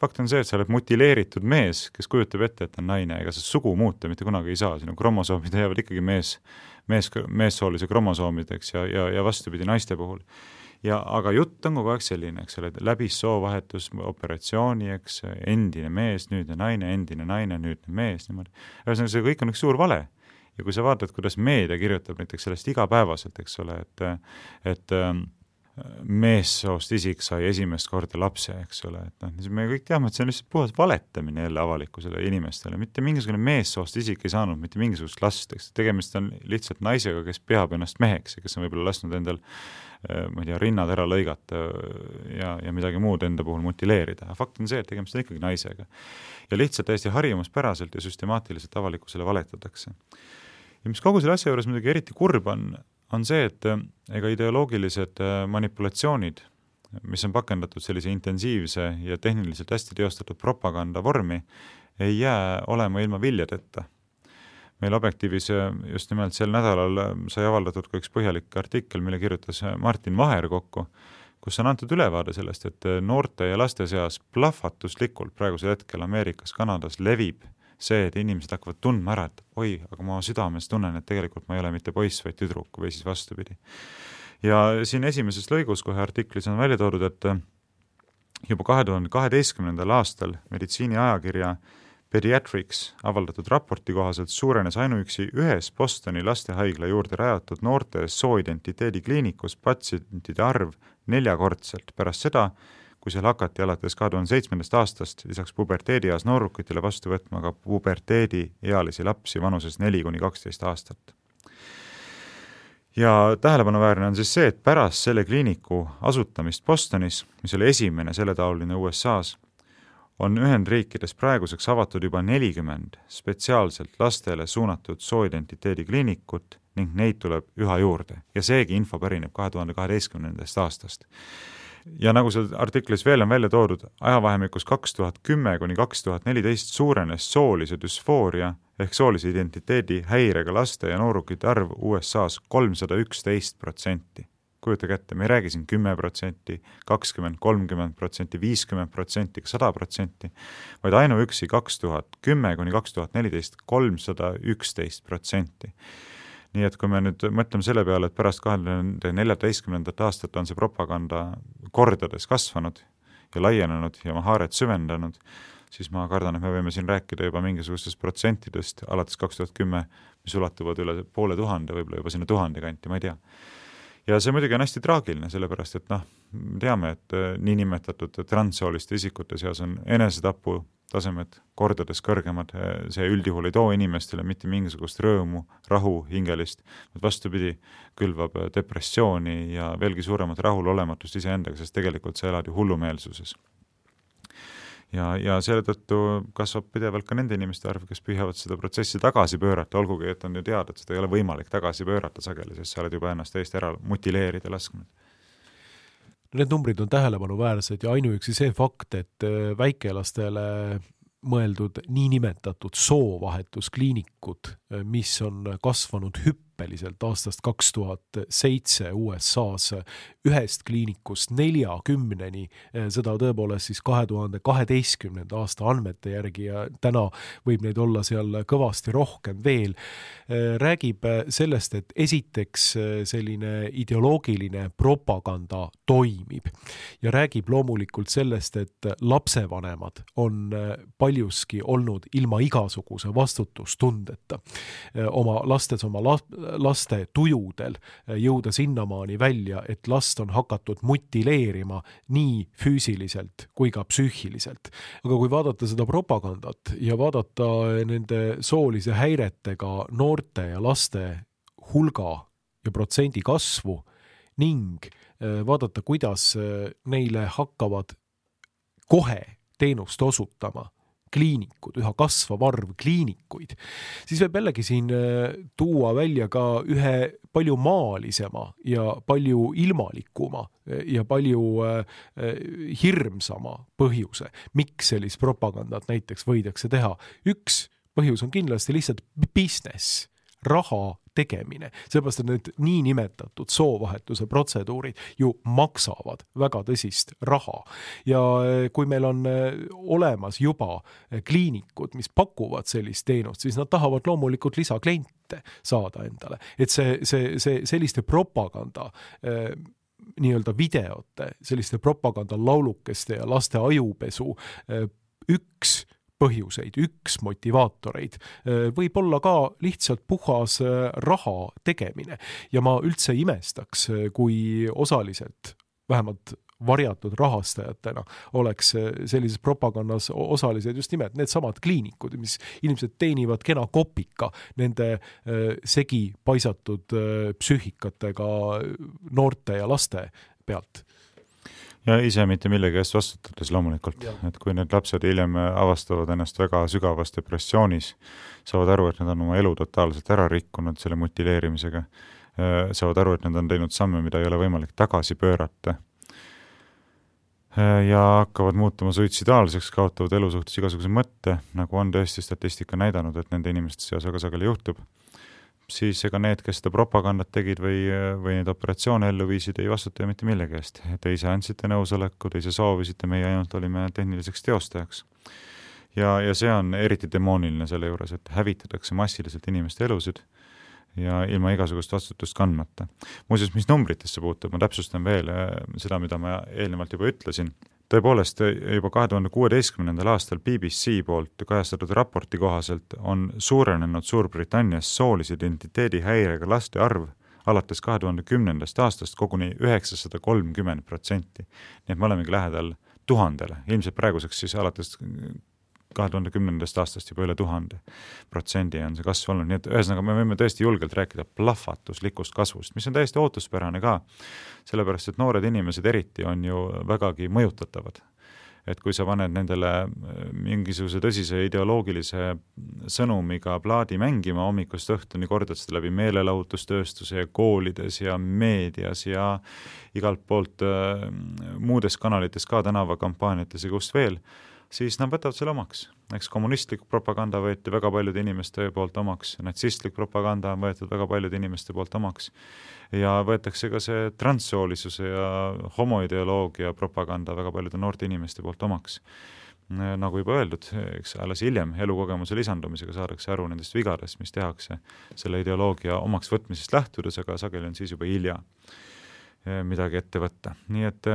Fakt on see, et sa oled mutileeritud mees, kes kujutab ette, et on naine, ega sa sugu muuta mitte kunagi ei saa, sinu kromosoomid jäävad ikkagi mees, mees, meessoolise kromosoomideks ja, ja, ja vastupidi naiste puhul. Ja, aga jutt on kogu aeg selline, eks ole, läbi soovahetus, operatsiooni, eks, endine mees, nüüdne naine, endine naine, nüüdne mees, niimoodi. Ühesõnaga, see kõik on üks suur vale. Ja kui sa vaatad, kuidas meedia kirjutab näiteks sellest igapäevaselt, eks ole, et, et meessoost isik sai esimest korda lapse, eks ole, et noh, me kõik teame, et see on lihtsalt puhas valetamine jälle avalikkusele inimestele, mitte mingisugune meessoost isik ei saanud mitte mingisugust last, eks tegemist on lihtsalt naisega, kes peab ennast meheks ja kes on võib-olla lasknud endal ma ei tea, rinnad ära lõigata ja, ja midagi muud enda puhul mutileerida. Fakt on see, et tegemist on ikkagi naisega. Ja lihtsalt täiesti harjumuspäraselt ja süstemaatiliselt avalikkusele valetatakse. Ja mis kogu selle asja juures midagi eriti kurb on, on see, et ega ideoloogilised manipulatsioonid, mis on pakendatud sellise intensiivse ja tehniliselt hästi teostatud propaganda vormi, ei jää olema ilma viljadeta. Meil Objektiivis just nimelt sel nädalal sai avaldatud ka üks põhjalik artikkel, mille kirjutas Martin Vaher kokku, kus on antud ülevaade sellest, et noorte ja laste seas plahvatuslikult praegusel hetkel Ameerikas, Kanadas levib see, et inimesed hakkavad tundma ära, et oi, aga ma südames tunnen, et tegelikult ma ei ole mitte poiss, vaid tüdruk või siis vastupidi. Ja siin esimeses lõigus kohe artiklis on välja toodud, et juba kahe tuhande kaheteistkümnendal aastal meditsiini ajakirja Pediatrics avaldatud raporti kohaselt suurenes ainuüksi ühes Bostoni lastehaigla juurde rajatud noorte sooidentiteedi kliinikus patsientide arv neljakordselt pärast seda, kui seal hakati alates kahe tuhande seitsmendast aastast lisaks puberteedieas noorukitele vastu võtma ka puberteedi ealisi lapsi vanuses neli kuni kaksteist aastat. Ja tähelepanuväärne on siis see, et pärast selle kliiniku asutamist Bostonis, mis oli esimene selletaoline U S A-s, on Ühendriikides praeguseks avatud juba nelikümmend spetsiaalselt lastele suunatud sooidentiteedi kliinikut ning neid tuleb üha juurde. Ja seegi info pärineb kahe tuhande kaheteistkümnendast aastast. Ja nagu see artiklis veel on välja toodud, ajavahemikus kaks tuhat kümme kuni kaks tuhat neliteist suurenes soolise düsfooria ehk soolise identiteedi häirega laste ja noorukite arv U S A-s kolmsada üksteist protsenti. Kujuta kätte, me ei räägi siin kümme protsenti, kakskümmend, kolmkümmend protsenti, viiskümmend protsenti, sada protsenti, vaid ainuüksi kaks tuhat kümme kuni kaks tuhat neliteist kolmsada üksteist protsenti. Nii et kui me nüüd mõtleme selle peale, et pärast kahe tuhande neljateistkümnendat aastat on see propaganda kordades kasvanud ja laienenud ja oma haaret süvendanud, siis ma kardan, et me võime siin rääkida juba mingisugustest protsentidest alates kaks tuhat kümme, mis ulatuvad üle poole tuhande, võib-olla juba sinna tuhande kanti, ma ei tea. Ja see muidugi on hästi traagiline, sellepärast, et noh, teame, et niinimetatud transsooliste isikute seas on enesetapu tasemed kordades kõrgemad, see üldjuhul ei too inimestele mitte mingisugust rõõmu, rahu, hingelist, vastupidi külvab depressiooni ja veelgi suuremat rahulolematust iseendaga, sest tegelikult sa elad ju hullumeelsuses. Ja, ja selle tõttu kasvab pidevalt ka nende inimeste arv, kes püüavad seda protsessi tagasi pöörata, olgugi, et on ju teada, et seda ei ole võimalik tagasi pöörata sageli, sest sa oled juba ennast täiesti ära mutileerida lasknud. Need numbrid on tähelepanuväärsed ja ainuüksi see fakt, et väikelastele mõeldud niinimetatud soovahetuskliinikud, mis on kasvanud hüppeliselt aastast kaks tuhat seitse U S A-s ühest kliinikust neljakümneni, seda tõepoolest siis kahe tuhande kaheteistkümnenda aasta andmete järgi ja täna võib neid olla seal kõvasti rohkem veel, räägib sellest, et esiteks selline ideoloogiline propaganda toimib ja räägib loomulikult sellest, et lapsevanemad on paljuski olnud ilma igasuguse vastutustundeta oma lastes, oma laste tujudel jõuda sinnamaani välja, et last on hakatud mutileerima nii füüsiliselt kui ka psüühiliselt. Aga kui vaadata seda propagandat ja vaadata nende soolise häiretega noorte ja laste hulga ja protsendi kasvu ning vaadata, kuidas neile hakkavad kohe teenust osutama kliinikud, üha kasvav arv kliinikuid, siis võib jällegi siin tuua välja ka ühe palju maalisema ja palju ilmalikuma ja palju hirmsama põhjuse, miks sellist propagandat näiteks võidakse teha. Üks põhjus on kindlasti lihtsalt business, raha tegemine, seepärast, et need niinimetatud soovahetuse protseduurid ju maksavad väga tõsist raha. Ja kui meil on olemas juba kliinikud, mis pakuvad sellist teenust, siis nad tahavad loomulikult lisakliente saada endale. Et see, see, see selliste propaganda nii-öelda videote, selliste propaganda laulukeste ja laste ajupesu üks põhjuseid, üks motivaatoreid võib olla ka lihtsalt puhas raha tegemine. Ja ma üldse imestaks, kui osaliselt, vähemalt varjatud rahastajatena, oleks sellises propagandas osalised just nimelt need samad kliinikud, mis inimesed teenivad kena kopika nende segi paisatud psüühikatega noorte ja laste pealt. Ja ise mitte millegi eest vastutades loomulikult, ja. Et kui need lapsed hiljem avastavad ennast väga sügavas depressioonis, saavad aru, et nad on oma elu totaalselt ära rikkunud selle mutileerimisega, saavad aru, et nad on teinud samme, mida ei ole võimalik tagasi pöörata ja hakkavad muutuma suitsidaalseks, kaotavad elu suhtes igasuguse mõtte, nagu on tõesti statistika näidanud, et nende inimeste seas väga sageli juhtub, siis ega need, kes seda propagandat tegid või, või neid operatsioone ellu viisid, ei vastuta ju mitte millegi eest. Te ise andsite nõusoleku, te ise soovisite, meie ainult olime tehniliseks teostajaks. Ja, ja see on eriti demooniline selle juures, et hävitatakse massiliselt inimeste elusid ja ilma igasugust vastutust kandmata. Muuseas, mis numbritesse puutub, ma täpsustan veel seda, mida ma eelnevalt juba ütlesin. Tõepoolest, juba kahe tuhande kuueteistkümnendal aastal B B C poolt kajastatud raporti kohaselt on suurenenud Suurbritannias soolise identiteedi häirega laste arv alates kahe tuhande kümnendast aastast koguni üheksasada kolmkümmend protsenti. Nii et me olemegi lähedal tuhandele. Ilmselt praeguseks siis alates kahe tuhande kümnendast aastast juba üle tuhande protsendi on see kasv olnud. Nii et ühesõnaga me võime tõesti julgelt rääkida plahvatuslikust kasvust, mis on täiesti ootuspärane ka, sellepärast et noored inimesed eriti on ju vägagi mõjutatavad. Et kui sa paned nendele mingisuguse tõsise ideoloogilise sõnumiga plaadi mängima hommikust õhtuni, kordad seda läbi meelelahutustööstuse ja koolides ja meedias ja igalt poolt äh, muudes kanalites ka tänavakampaaniates ja kust veel, siis nad võtavad selle omaks. Eks kommunistlik propaganda võeti väga paljude inimeste poolt omaks, natsistlik propaganda on võetud väga paljude inimeste poolt omaks ja võetakse ka see transsoolisuse ja homoideoloogia propaganda väga paljude noorte inimeste poolt omaks. Nagu juba öeldud, eks alles hiljem elukogemuse lisandumisega saadakse aru nendest vigadest, mis tehakse selle ideoloogia omaks võtmisest lähtudes, aga sageli on siis juba hilja midagi ette võtta. Nii et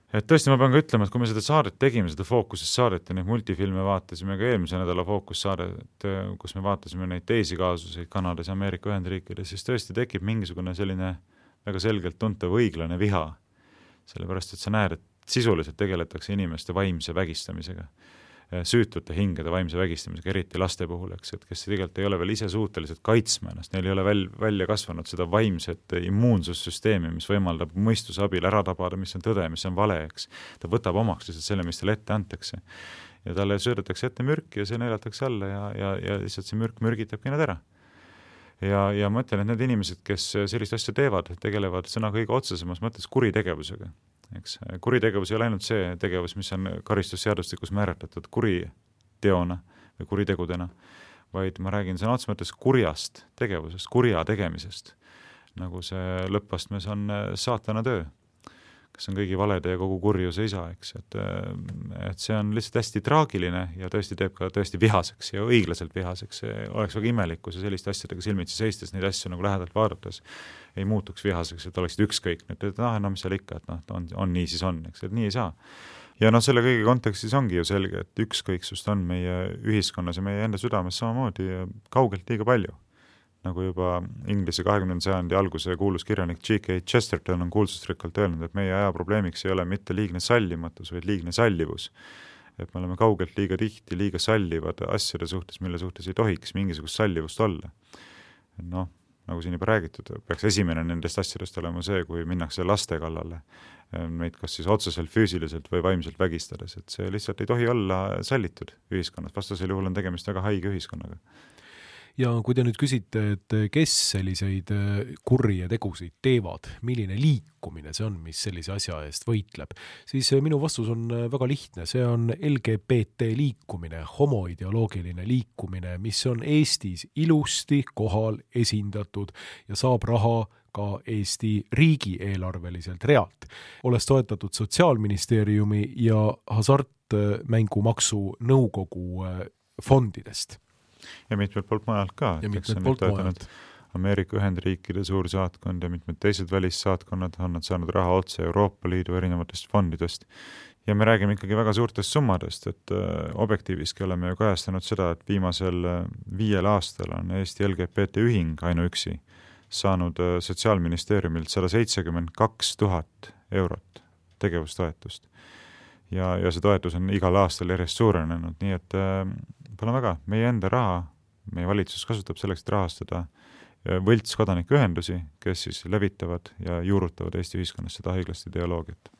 Et tõesti ma pean ka ütlema, et kui me seda saadet tegime, seda fookusest saadet ja neid multifilme vaatasime ka eelmise nädala fookussaadet, kus me vaatasime neid teisi kaasuseid Kanadas ja Ameerika Ühendriikides, siis tõesti tekib mingisugune selline väga selgelt tuntav õiglane viha. Sellepärast, et sa näed, et sisuliselt tegeletakse inimeste vaimse vägistamisega, süütute hingede vaimse vägistamisega, eriti laste puhul, eks, et kes tegelikult ei ole veel ise suutelised kaitsma ennast, neil ei ole väl, välja kasvanud seda vaimset immuunsussüsteemi, mis võimaldab mõistuse abil ära tabada, mis on tõde, mis on vale, eks. Ta võtab omaks lihtsalt selle, mis talle ette antakse. Ja talle söödetakse ette mürki ja see neelatakse alla ja, ja, ja lihtsalt see mürk mürgitabki nad ära. Ja, ja ma ütlen, et need inimesed, kes sellist asja teevad, tegelevad sõna kõige otsesemas mõttes kuritegevusega. Eks, kuritegevus ei ole ainult see tegevus, mis on karistusseadustikus määratletud kuriteona või kuritegudena, vaid ma räägin sõna otseses mõttes kurjast tegevusest, kurja tegemisest, nagu see lõppastmes on saatana töö, kes on kõigi valede ja kogu kurjuse isa, eks, et, et see on lihtsalt hästi traagiline ja tõesti teeb ka tõesti vihaseks ja õiglaselt vihaseks. See oleks väga imelik, kui see selliste asjadega silmitsi seistes neid asju nagu lähedalt vaadates ei muutuks vihaseks, et oleksid ükskõik. Et, et ah, no mis seal ikka, et noh, on, on nii, siis on, eks, et nii ei saa. Ja noh, selle kõige kontekstis ongi ju selge, et ükskõiksust on meie ühiskonnas ja meie enda südames samamoodi kaugelt liiga palju. Nagu juba Inglise kahekümnenda sajandi alguse kuulus kirjanik G K Chesterton on kuulsusrikkalt öelnud, et meie aja probleemiks ei ole mitte liigne sallimatus, vaid liigne sallivus. Et me oleme kaugelt liiga tihti, liiga sallivad asjade suhtes, mille suhtes ei tohiks mingisugust sallivust olla. Noh, nagu siin juba räägitud, peaks esimene nendest asjadest olema see, kui minnakse laste kallale, meid kas siis otseselt füüsiliselt või vaimselt vägistades, et see lihtsalt ei tohi olla sallitud ühiskonnas, vastasel juhul on tegemist väga haige ühiskonnaga. Ja kui te nüüd küsite, et kes selliseid kurje tegusid teevad, milline liikumine see on, mis sellise asja eest võitleb, siis minu vastus on väga lihtne. See on L G B T liikumine, homoideoloogiline liikumine, mis on Eestis ilusti kohal esindatud ja saab raha ka Eesti riigi eelarveliselt realt. Olles toetatud Sotsiaalministeeriumi ja hasartmängumaksu nõukogu fondidest. Ja mitmed poolt majalt ka. Ja mitmed poolt majalt. Ameerika Ühendriikide suur saatkond ja mitmed teised välissaatkonnad on nad saanud raha otse Euroopa Liidu erinevatest fondidest. Ja me räägime ikkagi väga suurtest summadest, et objektiiviski oleme ju kajastanud seda, et viimasel viiel aastal on Eesti L G B T ühing ainuüksi saanud Sotsiaalministeeriumilt sada seitsekümmend kaks tuhat eurot tegevustoetust. Ja, ja see toetus on igal aastal järjest suurenenud, nii et äh, pole väga, meie enda raha, meie valitsus kasutab selleks, et rahastada võlts kodanikuühendusi, kes siis levitavad ja juurutavad Eesti ühiskonnas seda haiglaste ideoloogiat.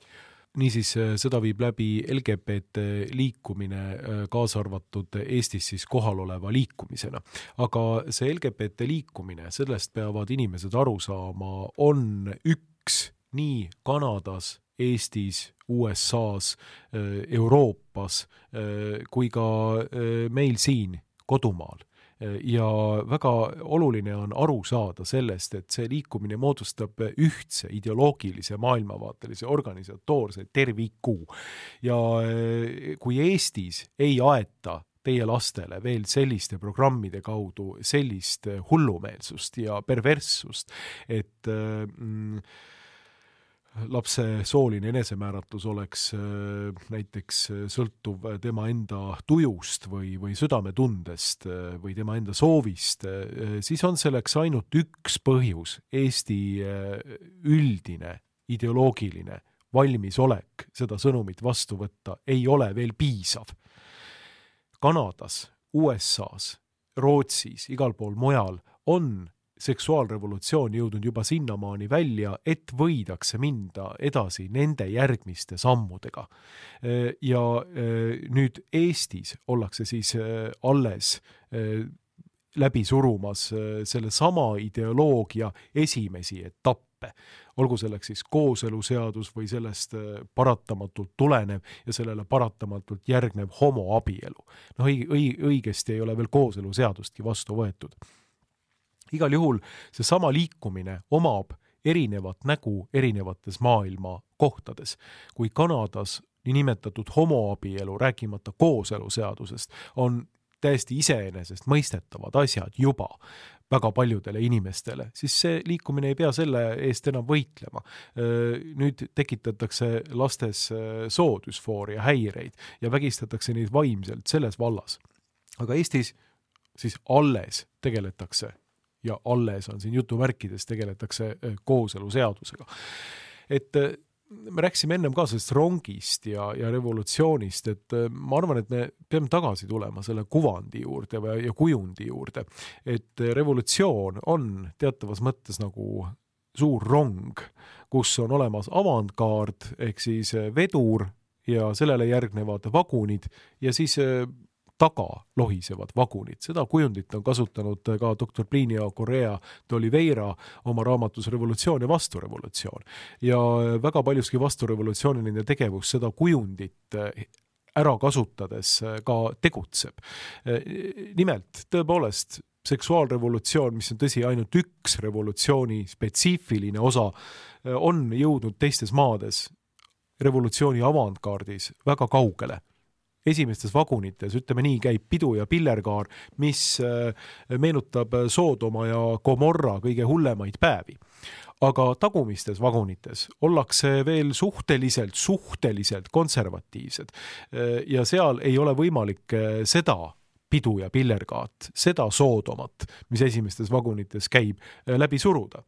Niisiis seda viib läbi L G B T liikumine, kaasa arvatud Eestis siis kohal oleva liikumisena. Aga see L G B T liikumine, sellest peavad inimesed aru saama, on üks nii Kanadas, Eestis, U S A-s, Euroopas kui ka meil siin kodumaal. Ja väga oluline on aru saada sellest, et see liikumine moodustab ühtse ideoloogilise maailmavaatelise organisatoorse terviku. Ja kui Eestis ei aeta teie lastele veel selliste programmide kaudu sellist hullumeelsust ja perverssust, et mm, lapse sooline enesemääratus oleks näiteks sõltuv tema enda tujust või, või südametundest või tema enda soovist, siis on selleks ainult üks põhjus. Eesti üldine ideoloogiline valmisolek seda sõnumit vastu võtta ei ole veel piisav. Kanadas, U S A-s, Rootsis, igal pool mujal on seksuaalrevolutsioon jõudnud juba sinnamaani välja, et võidakse minda edasi nende järgmiste sammudega. Ja nüüd Eestis ollakse siis alles läbi surumas selle sama ideoloogia esimesi etappe. Olgu selleks siis kooseluseadus või sellest paratamatult tulenev ja sellele paratamatult järgnev homoabielu. No õigesti ei ole veel kooseluseadustki vastu võetud. Igal juhul see sama liikumine omab erinevat nägu erinevates maailma kohtades. Kui Kanadas niinimetatud homoabielu, rääkimata kooseluseadusest, on täiesti iseenesest mõistetavad asjad juba väga paljudele inimestele, siis see liikumine ei pea selle eest enam võitlema. Nüüd tekitatakse lastes soodüsfooria häireid ja vägistatakse neid vaimselt selles vallas. Aga Eestis siis alles tegeletakse ja alles on siin jutumärkides tegeletakse kooseluseadusega. Et me rääksime ennem ka sellest rongist ja, ja revolutsioonist, et ma arvan, et me peame tagasi tulema selle kuvandi juurde ja kujundi juurde, et revolutsioon on teatavas mõttes nagu suur rong, kus on olemas avantgaard ehk siis vedur ja sellele järgnevad vagunid ja siis taga lohisevad vagunid. Seda kujundit on kasutanud ka doktor Plinio Correa de Oliveira oma raamatus Revolutsioon ja vasturevolutsioon. Ja väga paljuski vasturevolutsiooniline tegevus seda kujundit ära kasutades ka tegutseb. Nimelt, tõepoolest, seksuaalrevolutsioon, mis on tõsi ainult üks revolutsiooni spetsiifiline osa, on jõudnud teistes maades revolutsiooni avantgaardis väga kaugele. Esimestes vagunites, ütleme nii, käib pidu ja pillerkaar, mis meenutab Soodoma ja Gomorra kõige hullemaid päevi. Aga tagumistes vagunites ollakse veel suhteliselt, suhteliselt konservatiivsed ja seal ei ole võimalik seda pidu ja pillerkaat, seda Soodomat, mis esimestes vagunites käib, läbi suruda.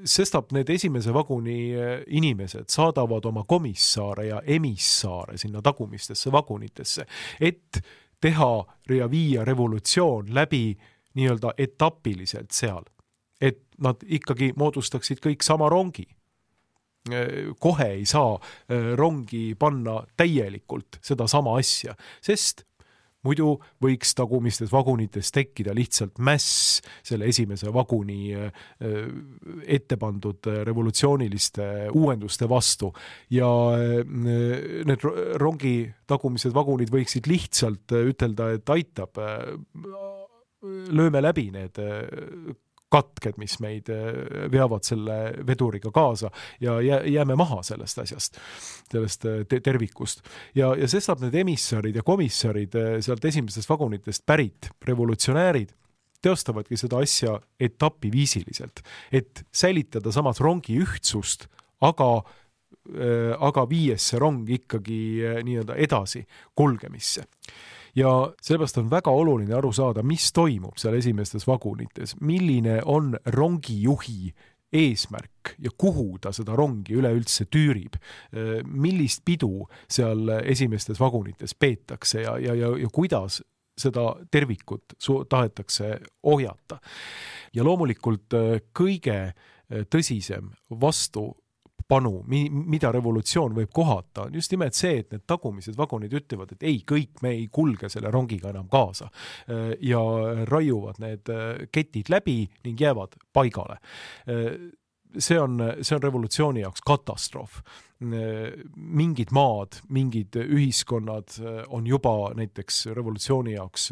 Sestap need esimese vaguni inimesed saadavad oma komissaare ja emissaare sinna tagumistesse vagunitesse, et teha ja viia revolutsioon läbi nii-öelda etapiliselt seal. Et nad ikkagi moodustaksid kõik sama rongi. Kohe ei saa rongi panna täielikult seda sama asja, sest muidu võiks tagumistes vagunites tekkida lihtsalt mäss selle esimese vaguni ette pandud revolutsiooniliste uuenduste vastu ja need rongi tagumised vagunid võiksid lihtsalt ütelda, et aitab, lööme läbi need katked, mis meid veavad selle veduriga kaasa ja jääme maha sellest asjast, sellest tervikust. Ja, ja sestap need emissarid ja komissarid sealt esimestest vagunitest pärit revolutsionäärid teostavadki seda asja etapiviisiliselt, et säilitada samas rongi ühtsust, aga, aga viies see rong ikkagi nii-öelda edasi kulgemisse. Ja sellepärast on väga oluline aru saada, mis toimub seal esimestes vagunites, milline on rongijuhi eesmärk ja kuhu ta seda rongi üleüldse tüürib, millist pidu seal esimestes vagunites peetakse ja, ja, ja, ja kuidas seda tervikut tahetakse ohjata. Ja loomulikult kõige tõsisem vastu panu, mida revolutsioon võib kohata, on just nimelt see, et need tagumised vagunid ütlevad, et ei, kõik me ei kulge selle rongiga enam kaasa ja raiuvad need ketid läbi ning jäävad paigale. See on, see on revolutsiooni jaoks katastroof. Mingid maad, mingid ühiskonnad on juba näiteks revolutsiooni jaoks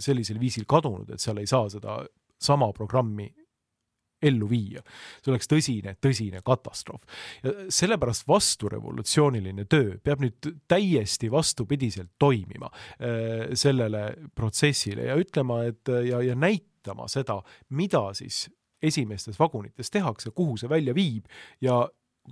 sellisel viisil kadunud, et seal ei saa seda sama programmi ellu viia. See oleks tõsine, tõsine katastroof. Ja sellepärast vasturevolutsiooniline töö peab nüüd täiesti vastupidiselt toimima sellele protsessile ja ütlema, et ja, ja näitama seda, mida siis esimestes vagunites tehakse, kuhu see välja viib ja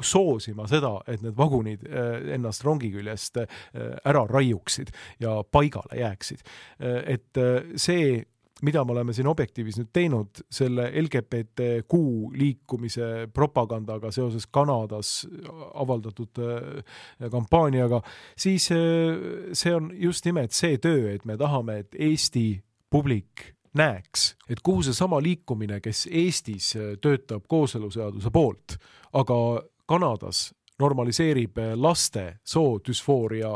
soosima seda, et need vagunid ennast rongi küljest ära raiuksid ja paigale jääksid. Et see mida me oleme siin Objektiivis nüüd teinud selle L G B T Q liikumise propagandaga seoses Kanadas avaldatud kampaaniaga, siis see on just nimelt see töö, et me tahame, et Eesti publik näeks, et kuhu see sama liikumine, kes Eestis töötab kooseluseaduse poolt, aga Kanadas normaliseerib laste soodüsfooria,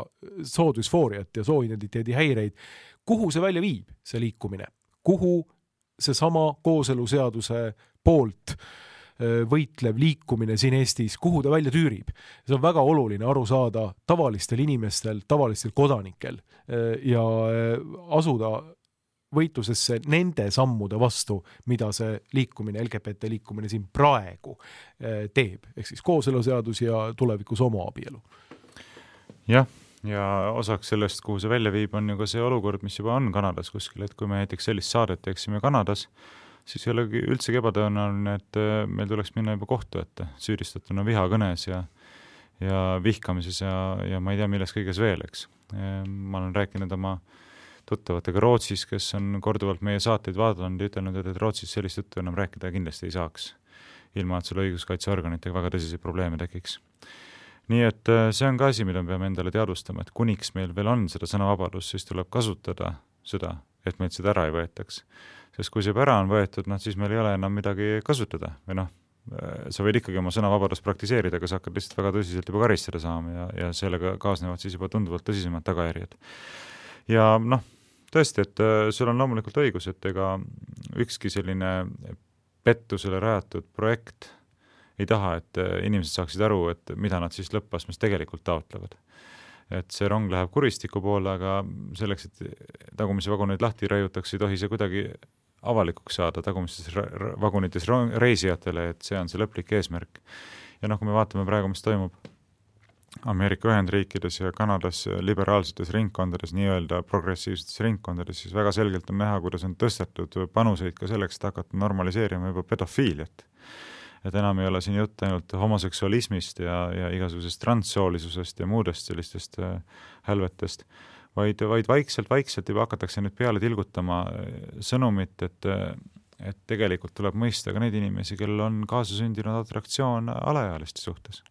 soodüsfooriat ja sooidentiteedi häireid, kuhu see välja viib, see liikumine? Kuhu see sama kooseluseaduse poolt võitlev liikumine siin Eestis, kuhu ta välja tüürib. See on väga oluline aru saada tavalistel inimestel, tavalistel kodanikel ja asuda võitlusesse nende sammude vastu, mida see liikumine, L G B T liikumine siin praegu teeb, ehk siis kooseluseadus ja tulevikus homoabielu. Jah. Ja osaks sellest, kuhu see välja viib, on ju ka see olukord, mis juba on Kanadas kuskil, et kui me näiteks sellist saadet teeksime Kanadas, siis ei olegi üldsegi ebatõenäoline, et meil tuleks minna juba kohtu ette, süüdistatuna vihakõnes ja, ja vihkamises ja, ja ma ei tea, milles kõiges veel, eks. Ma olen rääkinud oma tuttavatega Rootsis, kes on korduvalt meie saateid vaadanud ja ütelnud, et Rootsis sellist juttu enam rääkida kindlasti ei saaks, ilma et sul õiguskaitseorganitega väga tõsiseid probleeme tekiks. Nii et see on ka asi, mida me peame endale teadvustama, et kuniks meil veel on seda sõnavabadus, siis tuleb kasutada seda, et meilt seda ära ei võetaks. Sest kui see ära on võetud, noh, siis meil ei ole enam midagi kasutada. Või noh, sa võid ikkagi oma sõnavabadust praktiseerida, aga sa hakkad lihtsalt väga tõsiselt juba karistada saama ja, ja sellega kaasnevad siis juba tunduvalt tõsisemad tagajärjed. Ja noh, tõesti, et sul on loomulikult õigus, et ega ükski selline pettusele rajatud projekt ei taha, et inimesed saaksid aru, et mida nad siis lõppastmes tegelikult taotlevad. Et see rong läheb kuristiku poole, aga selleks, et tagumise vaguneid lahti raiutakse, ei tohi see kuidagi avalikuks saada tagumistes vagunites reisijatele, et see on see lõplik eesmärk. Ja noh, kui me vaatame praegu, mis toimub Ameerika Ühendriikides ja Kanadas liberaalsetes ringkondades, nii-öelda progressiivsetes ringkondades, siis väga selgelt on näha, kuidas on tõstetud panuseid ka selleks, et hakata normaliseerima juba pedofiiliat. Et enam ei ole siin jutt ainult homoseksualismist ja, ja igasugusest transsoolisusest ja muudest sellistest hälvetest, vaid, vaid vaikselt, vaikselt juba hakatakse nüüd peale tilgutama sõnumit, et, et tegelikult tuleb mõista ka neid inimesi, kellel on kaasasündinud atraktsioon alaealiste suhtes.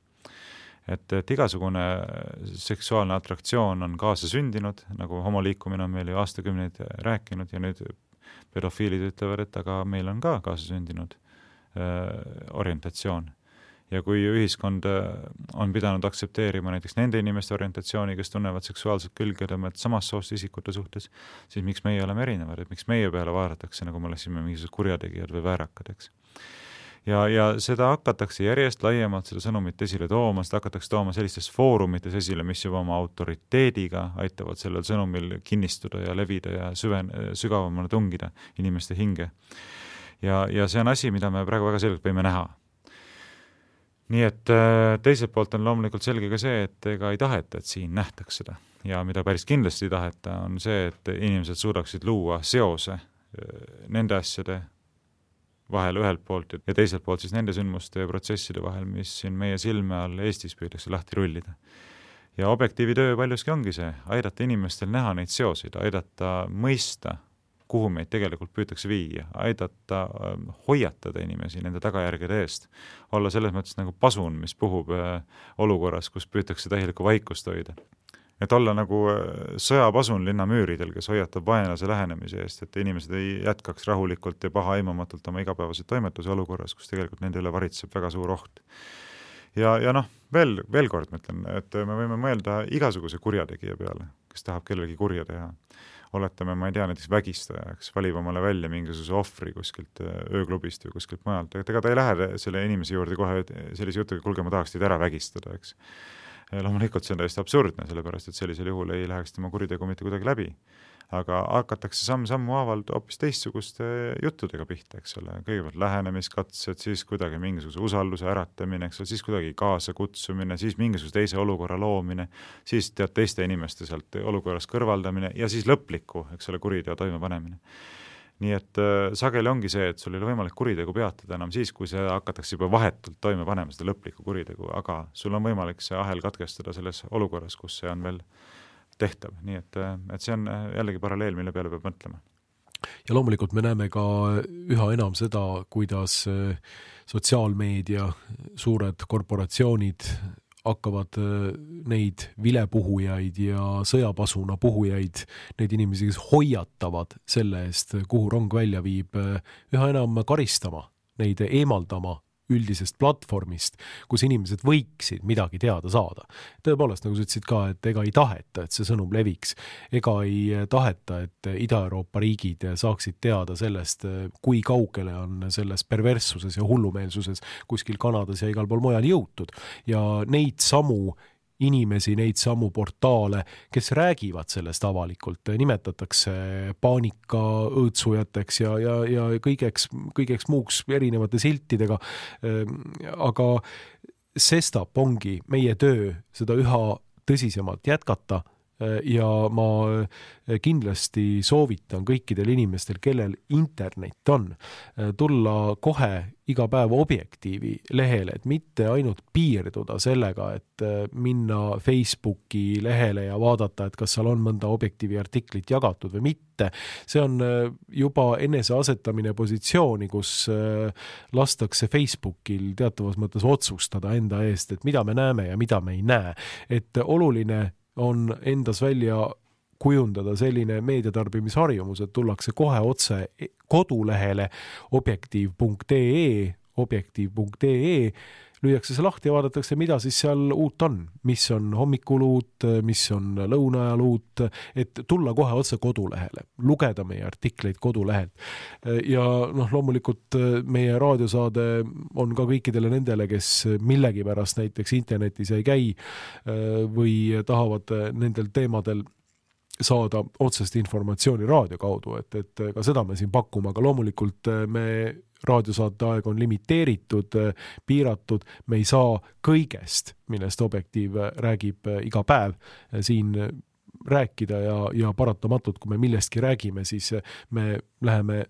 Et, et igasugune seksuaalne atraktsioon on kaasasündinud, nagu homoliikumine on meil ju aastakümneid rääkinud ja nüüd pedofiilid ütlevad, et aga meil on ka kaasasündinud orientatsioon. Ja kui ühiskond on pidanud aksepteerima näiteks nende inimeste orientatsiooni, kes tunnevad seksuaalset külgetõmmet samast soost isikute suhtes, siis miks meie oleme erinevad, et miks meie peale vaadatakse, nagu me olesime mingisugused kurjategijad või väärakad, eks. Ja, ja seda hakatakse järjest laiemalt seda sõnumit esile tooma, seda hakatakse tooma sellistes foorumites esile, mis juba oma autoriteediga aitavad sellel sõnumil kinnistuda ja levida ja süven, sügavamale tungida inimeste hinge. Ja, ja see on asi, mida me praegu väga selgelt võime näha. Nii et teiselt poolt on loomulikult selge ka see, et ega ei taheta, et siin nähtaks seda. Ja mida päris kindlasti ei taheta, on see, et inimesed suudaksid luua seose nende asjade vahel ühelt poolt ja teiselt poolt siis nende sündmuste ja protsesside vahel, mis siin meie silme all Eestis püüdakse lahti rullida. Ja objektiivi töö paljuski ongi see, aidata inimestel näha neid seoseid, aidata mõista, kuhu meid tegelikult püütakse viia, aidata hoiatada inimesi nende tagajärgede eest, olla selles mõttes nagu pasun, mis puhub olukorras, kus püütakse täielikku vaikust hoida. Et olla nagu sõjapasun linnamüüridel, kes hoiatab vaenlase lähenemise eest, et inimesed ei jätkaks rahulikult ja paha aimamatult oma igapäevaseid toimetuse olukorras, kus tegelikult nende üle varitseb väga suur oht. Ja, ja noh, veel, veel kord mõtlen, et me võime mõelda igasuguse kurjategija peale, kes tahab kellelgi kurja teha. Oletame, ma ei tea, näiteks vägistajaks, valib omale välja mingisuguse ohvri kuskilt ööklubist või kuskilt majalt, et ega ta ei lähe selle inimese juurde kohe sellise jutuga, kulge, ma tahaks teid ära vägistada, eks. Loomulikult see on täiesti absurdne, sellepärast, et sellisel juhul ei läheks tema kuritegu mitte kuidagi läbi. Aga hakatakse samm-sammu haavalt hoopis teistsuguste juttudega pihta, eks ole. Kõigepealt lähenemiskatsed, siis kuidagi mingisuguse usalduse äratamine, eks ole, siis kuidagi kaasa kutsumine, siis mingisuguse teise olukorra loomine, siis tead teiste inimeste sealt olukorras kõrvaldamine ja siis lõpliku, eks ole, kuriteo toimepanemine. Nii et äh, sageli ongi see, et sul ei ole võimalik kuritegu peatada enam siis, kui see hakatakse juba vahetult toime panema seda lõplikku kuritegu, aga sul on võimalik see ahel katkestada selles olukorras, kus see on veel tehtav. Nii et, et see on jällegi paralleel, mille peale peab mõtlema. Ja loomulikult me näeme ka üha enam seda, kuidas sotsiaalmeedia, suured korporatsioonid hakkavad neid vilepuhujaid ja sõjapasuna puhujaid, neid inimesi, kes hoiatavad selle eest, kuhu rong välja viib, üha enam karistama, neid eemaldama üldisest platvormist, kus inimesed võiksid midagi teada saada. Tõepoolest, nagu sa ütlesid ka, et ega ei taheta, et see sõnum leviks. Ega ei taheta, et Ida-Euroopa riigid saaksid teada sellest, kui kaugele on selles perverssuses ja hullumeelsuses kuskil Kanadas ja igal pool mujal jõutud. Ja neid samu inimesi, neid samu portaale, kes räägivad sellest avalikult, nimetatakse paanika õõtsujateks ja, ja, ja kõigeks, kõigeks muuks erinevate siltidega. Aga sestap ongi meie töö seda üha tõsisemalt jätkata ja ma kindlasti soovitan kõikidel inimestel, kellel internet on, tulla kohe iga päev Objektiivi lehele, et mitte ainult piirduda sellega, et minna Facebooki lehele ja vaadata, et kas seal on mõnda Objektiivi artiklit jagatud või mitte. See on juba enese asetamine positsiooni, kus lastakse Facebookil teatavas mõttes otsustada enda eest, et mida me näeme ja mida me ei näe. Et oluline on endas välja kujundada selline meediatarbimisharjumus, et tullakse kohe otse kodulehele objektiiv punkt ee, objektiiv punkt ee, lüüakse see lahti ja vaadatakse, mida siis seal uut on, mis on hommikul uut, mis on lõunaajal uut, et tulla kohe otse kodulehele, lugeda meie artikleid kodulehelt. Ja noh, loomulikult meie raadiosaade on ka kõikidele nendele, kes millegi pärast näiteks internetis ei käi või tahavad nendel teemadel saada otsest informatsiooni raadio kaudu, et, et ka seda me siin pakume, aga loomulikult me raadiosaate aeg on limiteeritud, piiratud, me ei saa kõigest, millest Objektiiv räägib iga päev siin rääkida ja, ja paratamatult, kui me millestki räägime, siis me läheme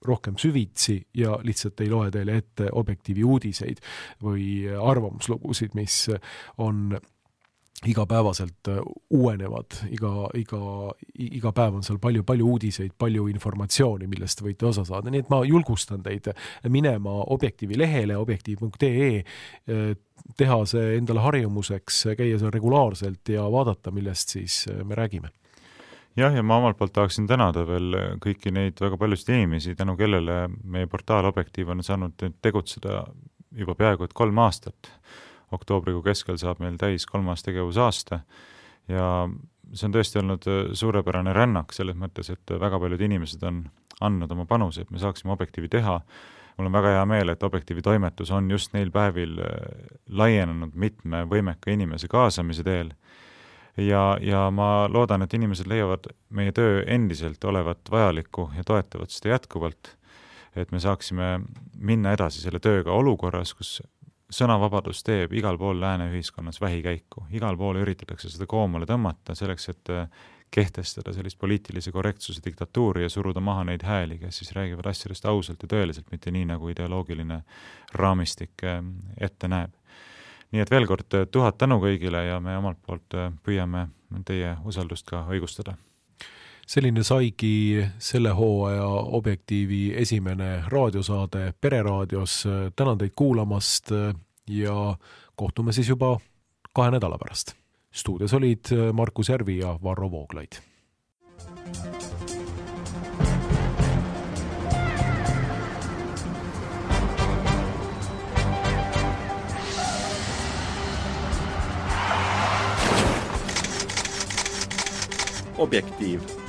rohkem süvitsi ja lihtsalt ei loe teile ette Objektiivi uudiseid või arvamuslugusid, mis on igapäevaselt uuenevad, iga, iga, iga päev on seal palju, palju uudiseid, palju informatsiooni, millest võite osa saada. Nii et ma julgustan teid minema Objektiivi lehele, objektiiv punkt ee, teha see endale harjumuseks, käia seal regulaarselt ja vaadata, millest siis me räägime. Jah, ja ma omalt poolt tahaksin tänada veel kõiki neid väga paljusid inimesi, tänu kellele meie portaal Objektiiv on saanud tegutseda juba peaaegu et kolm aastat. Oktoobrikuu keskel saab meil täis kolmas tegevusaasta ja see on tõesti olnud suurepärane rännak selles mõttes, et väga paljud inimesed on andnud oma panuse, et me saaksime Objektiivi teha. Mul on väga hea meel, et Objektiivi toimetus on just neil päevil laienenud mitme võimeka inimese kaasamise teel. Ja, ja ma loodan, et inimesed leiavad meie töö endiselt olevat vajalikku ja toetavad seda jätkuvalt, et me saaksime minna edasi selle tööga olukorras, kus sõnavabadus teeb igal pool lääne ühiskonnas vähikäiku. Igal pool üritatakse seda koomale tõmmata selleks, et kehtestada sellist poliitilise korrektsuse diktatuuri ja suruda maha neid hääli, kes siis räägivad asjadest ausalt ja tõeliselt, mitte nii, nagu ideoloogiline raamistik ette näeb. Nii et veel kord tuhat tänu kõigile ja me omalt poolt püüame teie usaldust ka õigustada. Selline saigi selle hooaja Objektiivi esimene raadiosaade Pereraadios. Tänan teid kuulamast ja kohtume siis juba kahe nädala pärast. Stuudios olid Markus Järvi ja Varro Vooglaid. Objektiiv.